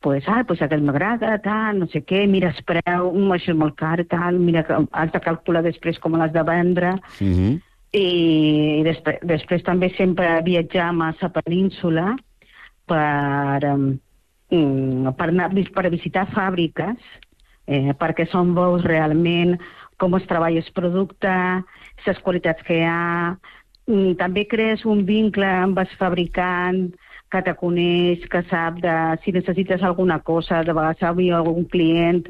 pues, ah, pues aquest m'agrada, tal, no sé què, mira el preu, um, això és molt car, tal, mira, has de calcular després com l'has de vendre. Uh-huh. I després, després també sempre viatjam a la península per, um, per, anar, per visitar fàbriques, eh, perquè són veus realment com es treballa el producte, les qualitats que hi ha. Mm, també crees un vincle amb el fabricant que te coneix, que sap de, si necessites alguna cosa, de vegades hi ha algun client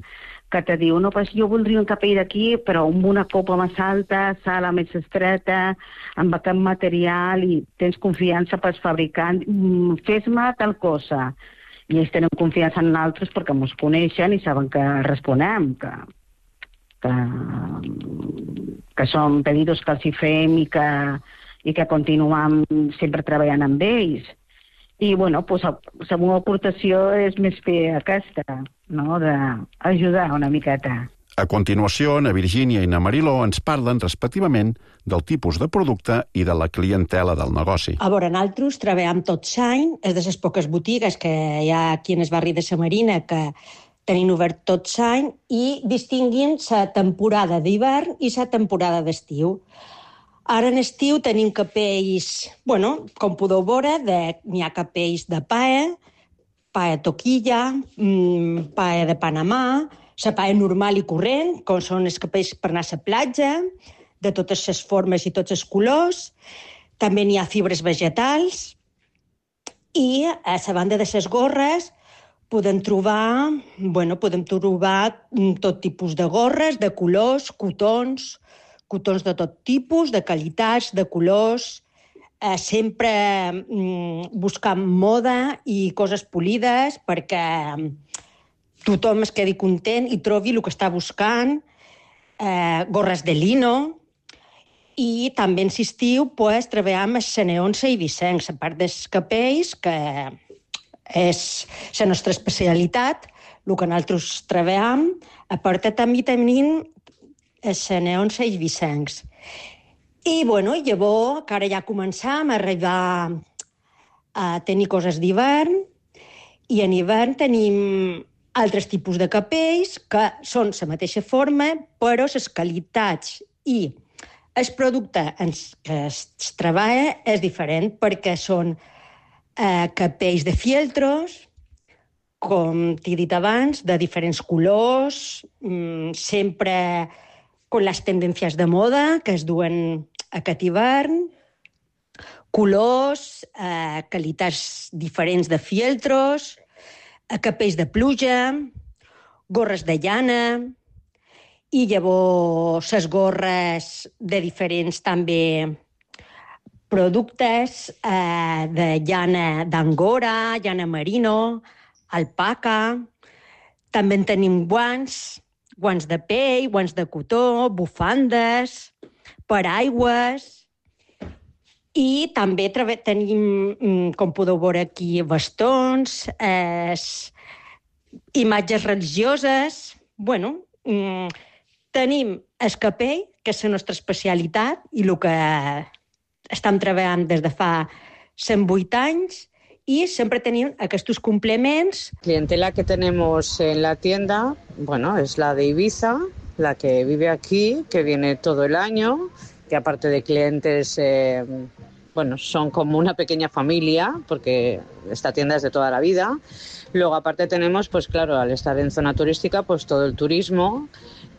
que te diu, no, pues jo voldria un capell d'aquí, però amb una copa més alta, sala més estreta, amb aquest material, i tens confiança pel fabricant, mm, fes-me tal cosa. I ells tenen confiança en nosaltres perquè ens coneixen i saben que responem, que, que, que són pedidos que els hi fem i que, i que continuem sempre treballant amb ells. I, bueno, pues, la meva aportació és més fer aquesta, no?, d'ajudar una miqueta. A continuació, na Virgínia i na Mariló ens parlen respectivament del tipus de producte i de la clientela del negoci. A veure, nosaltres treballem tot l'any, és de les poques botigues que hi ha aquí en el barri de la Marina que tenim obert tot l'any i distinguim la temporada d'hivern i la temporada d'estiu. Ara en estiu tenim capells, bueno, com podeu veure, n'hi ha capells de pae, pae toquilla, mmm, pae de Panamà, la pae normal i corrent, com són els capells per anar a la platja, de totes les formes i tots els colors. També n'hi ha fibres vegetals. I a la banda de les gorres podem trobar, bueno, podem trobar tot tipus de gorres, de colors, cotons, cotons de tot tipus, de qualitats, de colors, eh, sempre mm, buscant moda i coses polides perquè tothom es quedi content i trobi el que està buscant. eh, gorres de lino, i també en l'estiu pues, treballem els neons eivissencs, a part dels capells, que és la nostra especialitat, el que nosaltres treballem, a part també tenim els neons eivissencs. I, bueno, llavors, que ara ja començam a arribar a tenir coses d'hivern, i en hivern tenim altres tipus de capells que són la mateixa forma, però les qualitats i el producte en què es treballa és diferent, perquè són eh, capells de fieltros, com t'he dit abans, de diferents colors, mmm, sempre con les tendències de moda que es duen aquest hivern, colors, eh, qualitats diferents de fieltros, eh, capells de pluja, gorres de llana, i llavors les gorres de diferents també productes eh, de llana d'angora, llana merino, alpaca. També en tenim guants, guants de pell, guants de cotó, bufandes, paraigües. I també tenim, com podeu veure aquí, bastons, eh, imatges religioses. Bueno, mm, tenim el capell, que és la nostra especialitat, i el que estem treballant des de fa cent vuit anys, y siempre tenían estos complementos. La clientela que tenemos en la tienda, bueno, es la de Ibiza, la que vive aquí, que viene todo el año, que aparte de clientes, eh, bueno, son como una pequeña familia, porque esta tienda es de toda la vida. Luego, aparte tenemos, pues claro, al estar en zona turística, pues todo el turismo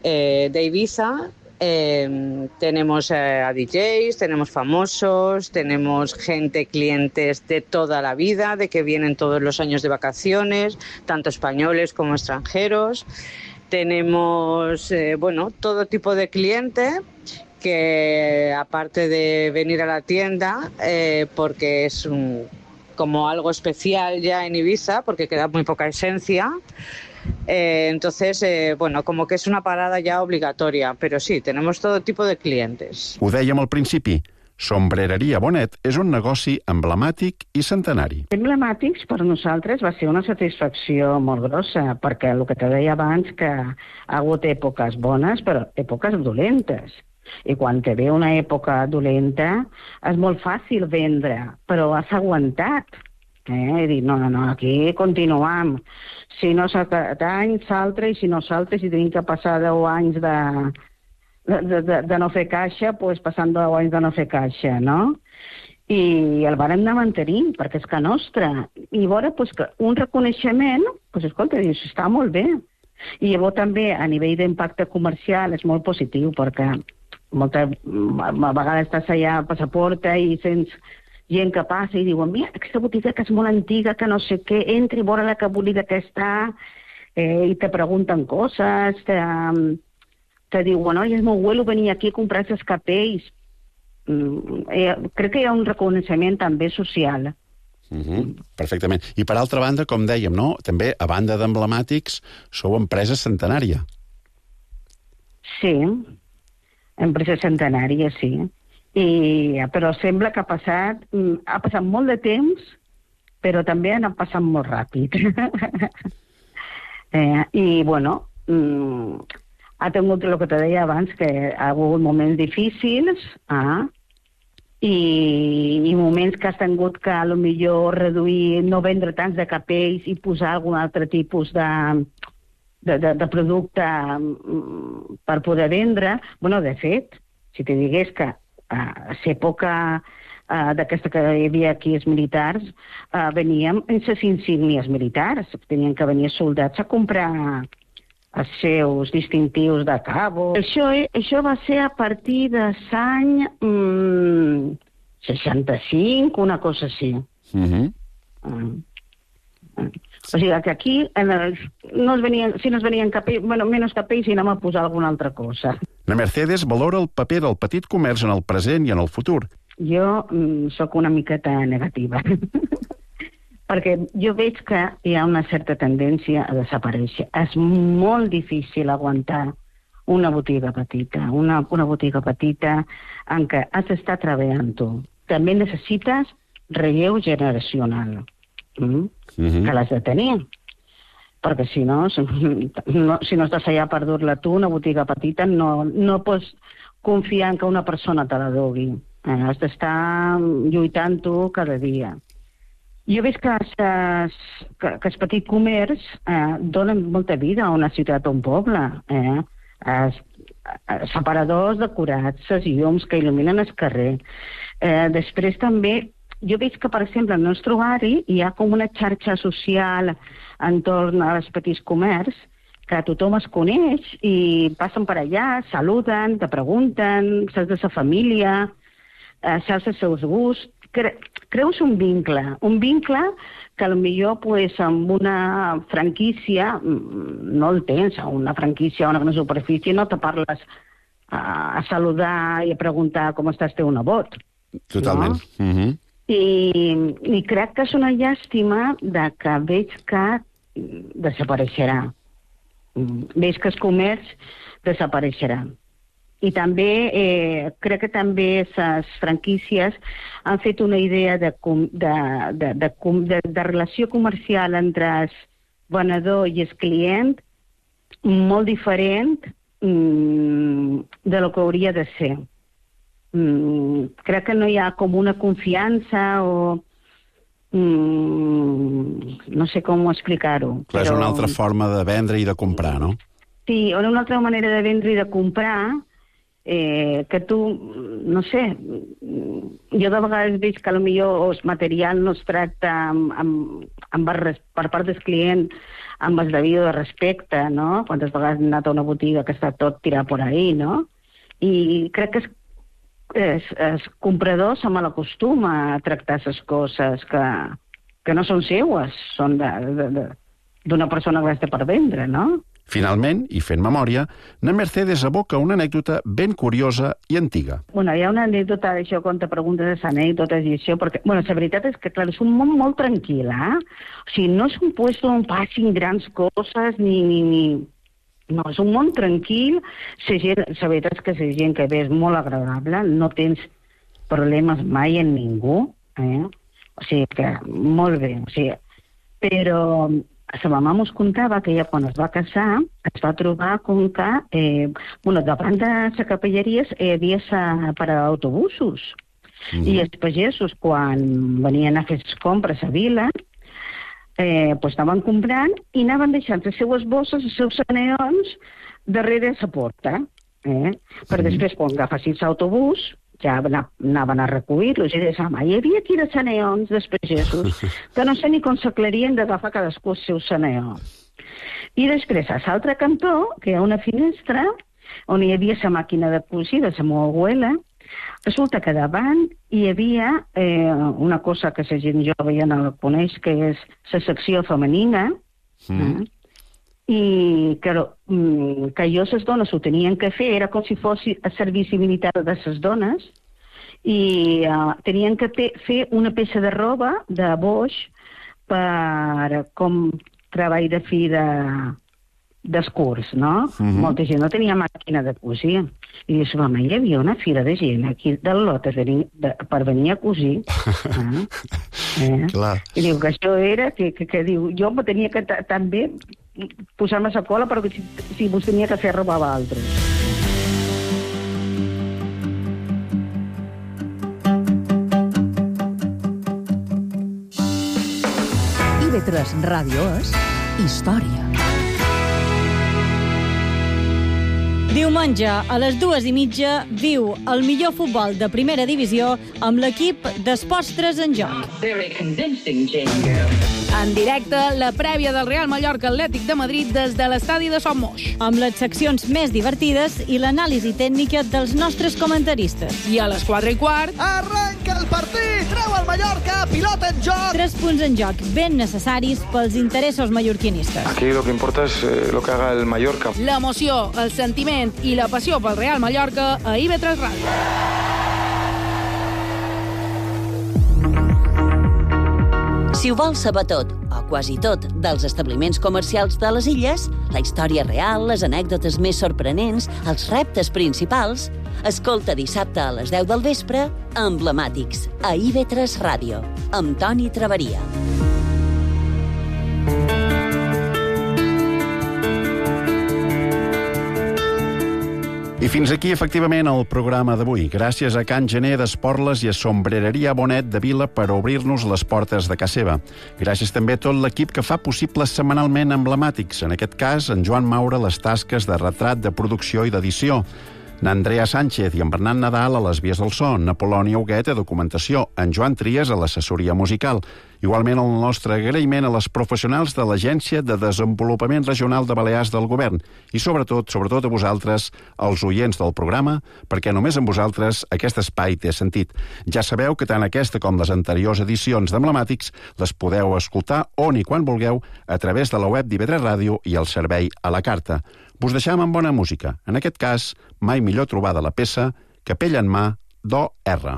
eh, de Ibiza. Eh, tenemos eh, a D Js, tenemos famosos, tenemos gente, clientes de toda la vida, de que vienen todos los años de vacaciones, tanto españoles como extranjeros. Tenemos, eh, bueno, todo tipo de cliente que, aparte de venir a la tienda, eh, porque es un, como algo especial ya en Ibiza, porque queda muy poca esencia. Eh, entonces, eh, bueno, como que es una parada ya obligatoria, pero sí, tenemos todo tipo de clientes. Ho dèiem al principi, Sombrereria Bonet és un negoci emblemàtic i centenari. Emblemàtics per nosaltres va ser una satisfacció molt grossa, perquè el que te deia abans, que ha hagut èpoques bones, però èpoques dolentes. I quan te ve una època dolenta és molt fàcil vendre, però has aguantat. Eh? He dit, no, no, no, aquí continuam. Si no s'acat any, s'altre, i si no s'altre, si tenim que passar deu anys de, de, de, de no fer caixa, doncs passant deu anys de no fer caixa, no? I el vàrem anar mantenint, perquè és que nostre. I veure, doncs, que un reconeixement, doncs, escolta, dius, està molt bé. I llavors també, a nivell d'impacte comercial, és molt positiu, perquè moltes vegades estàs allà a Passaporta i sents gent que passa i diuen, mira, aquesta botiga que és molt antiga, que no sé què, entra i veure la que bonica que està, eh, i te pregunten coses, te, te diuen, oi, és molt bueno venir aquí a comprar aquests capells. Mm, eh, crec que hi ha un reconeixement també social. Uh-huh. Perfectament. I per altra banda, com dèiem, no? També, a banda d'emblemàtics, sou empresa centenària. Sí, empresa centenària, sí. I, però sembla que ha passat, ha passat molt de temps, però també han passat molt ràpid. eh, I, bueno, mm, ha tingut el que te deia abans, que ha hagut moments difícils, ah, i, i moments que has tingut que potser reduir, no vendre tants de capells i posar algun altre tipus de, de, de, de producte mm, per poder vendre. Bueno, de fet, si te digués que a l'època uh, d'aquesta que hi havia aquí els militars, uh, veníem en les insígnies militars. Tenien que venir soldats a comprar els seus distintius de cabo. Això, això va ser a partir de l'any mm, seixanta-cinc, una cosa així. Uh-huh. uh, uh. O sigui que aquí en els, no es venien, si no es venien capells, bueno, menys capells, si anem a posar alguna altra cosa. La Mercedes valora el paper del petit comerç en el present i en el futur. Jo mm, sóc una miqueta negativa, perquè jo veig que hi ha una certa tendència a desaparèixer. És molt difícil aguantar una botiga petita, una, una botiga petita en què has d'estar treballant tu. També necessites relleu generacional, mm? mm-hmm. que l'has de tenir. Perquè si no, si no, si no estàs allà per dur-la tu, una botiga petita, no, no pots confiar en que una persona te la dugui. Eh, has d'estar lluitant tu cada dia. Jo veig que, ses, que, que el petit comerç eh, donen molta vida a una ciutat o un poble. Eh? Es, es separadors decorats, les llums que il·luminen el carrer. Eh, després també, jo veig que, per exemple, al nostre barri hi ha com una xarxa social entorn als petits comerç, que tothom es coneix i passen per allà, saluden, te pregunten, saps de sa família, eh, saps els seus gusts. Cre creus un vincle, un vincle que potser pues, amb una franquícia no el tens, una franquícia o una superfície no te parles a, a saludar i a preguntar com estàs teu nebot. Totalment. No? Mm-hmm. I, I crec que és una llàstima de que veig que desapareixerà. Veig que el comerç desapareixerà. I també, eh, crec que també les franquícies han fet una idea de, de, de, de, de, de relació comercial entre el venedor i el client molt diferent mm, de lo que hauria de ser. Mm, crec que no hi ha com una confiança o... Mm, no sé com explicar-ho. Clar, però... és una altra forma de vendre i de comprar, no? Sí, una altra manera de vendre i de comprar... Eh, que tu, no sé, jo de vegades veig que potser el material no es tracta amb, amb, amb el, per part del client amb el debido de respecte, no? Quantes vegades hem anat a una botiga que està tot tirat per ahí, no? I crec que es, el comprador se malacostuma a tractar les coses que, que no són seues, són d'una persona que les té per vendre, no? Finalment, i fent memòria, na Mercedes aboca una anècdota ben curiosa i antiga. Bueno, hi ha una anècdota d'això, quan te preguntes les anècdotes i això, perquè, bueno, la veritat és que, clar, és un món molt tranquil, eh? O sigui, no és un puesto on passin grans coses, ni, ni, ni... No, és un món tranquil, la gent, la veritat és que la gent que ve és molt agradable, no tens problemes mai en ningú, eh? O sigui que, molt bé, o sigui, però... La mamà mos contava que ella, quan es va casar, es va trobar com que, eh, bueno, davant de la capelleria hi havia sa parada d'autobusos. Mm-hmm. I els pagesos, quan venien a fer les compres a vila, eh, pues anaven comprant i anaven deixant les seues bosses, els seus saneons, darrere la porta. Eh? Per després, quan agafessin l'autobús, ja anaven a recollir-los i deien, home, hi havia aquí de saneons dels pagesos que no sé ni com s'aclarien d'agafar cadascú el seu saneó. I després, a l'altre cantó, que hi ha una finestra on hi havia la màquina de cosir de la meva abuela, resulta que davant hi havia eh, una cosa que la gent jove ja no la coneix, que és la secció femenina, mm. eh? I que, que jo les dones ho tenien que fer, era com si fos el servici militar de les dones, i uh, tenien que fer una peça de roba de boix per com treball de fi de, dels curs, no? Mm-hmm. Molta gent no tenia màquina de cosir. I dius, home, hi havia una fila de gent aquí del lot venir, de, per venir a cosir. eh? Eh? Clar. I diu que això era, que, que, que diu, jo me tenia que també posar-me a la cola perquè si, si vos tenia que fer robar a altres. I ve tres Ràdio és història. Diumenge, a les dues i mitja, viu el millor futbol de primera divisió amb l'equip d'Esports tres en joc. En directe, la prèvia del Real Mallorca Atlètic de Madrid des de l'estadi de Son Moix. Amb les seccions més divertides i l'anàlisi tècnica dels nostres comentaristes. I a les quatre i quart... Arranca el partit! Treu el Mallorca! Pilota en joc! Tres punts en joc ben necessaris pels interessos mallorquinistes. Aquí lo que importa es eh, lo que haga el Mallorca. L'emoció, el sentiment i la passió pel Real Mallorca a I V tres Ràdio. Si ho vols saber tot o quasi tot dels establiments comercials de les illes, la història real, les anècdotes més sorprenents, els reptes principals, escolta dissabte a les deu del vespre Emblemàtics, a I V tres Ràdio, amb Toni Traveria. I fins aquí, efectivament, el programa d'avui. Gràcies a Can Gener d'Esporles i a Sombrereria Bonet de Vila per obrir-nos les portes de casa seva. Gràcies també a tot l'equip que fa possible setmanalment Emblemàtics. En aquest cas, en Joan Maura, les tasques de retrat, de producció i d'edició. N'Andrea Sánchez i en Bernat Nadal a les vies del so, Napolònia Huguet a documentació, en Joan Trias a l'assessoria musical. Igualment el nostre agraïment a les professionals de l'Agència de Desenvolupament Regional de Balears del Govern i sobretot, sobretot a vosaltres, els oients del programa, perquè només amb vosaltres aquest espai té sentit. Ja sabeu que tant aquesta com les anteriors edicions d'Emblemàtics les podeu escoltar on i quan vulgueu a través de la web d'I V tres Ràdio i el servei a la carta. Vos deixam amb bona música. En aquest cas, mai millor trobada la peça Capella en mà, do R.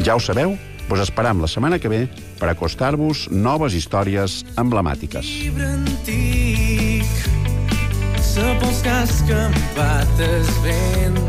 Ja ho sabeu, vos esperam la setmana que ve per acostar-vos noves històries emblemàtiques. Llibre antic, sa pels cas que em bates vent.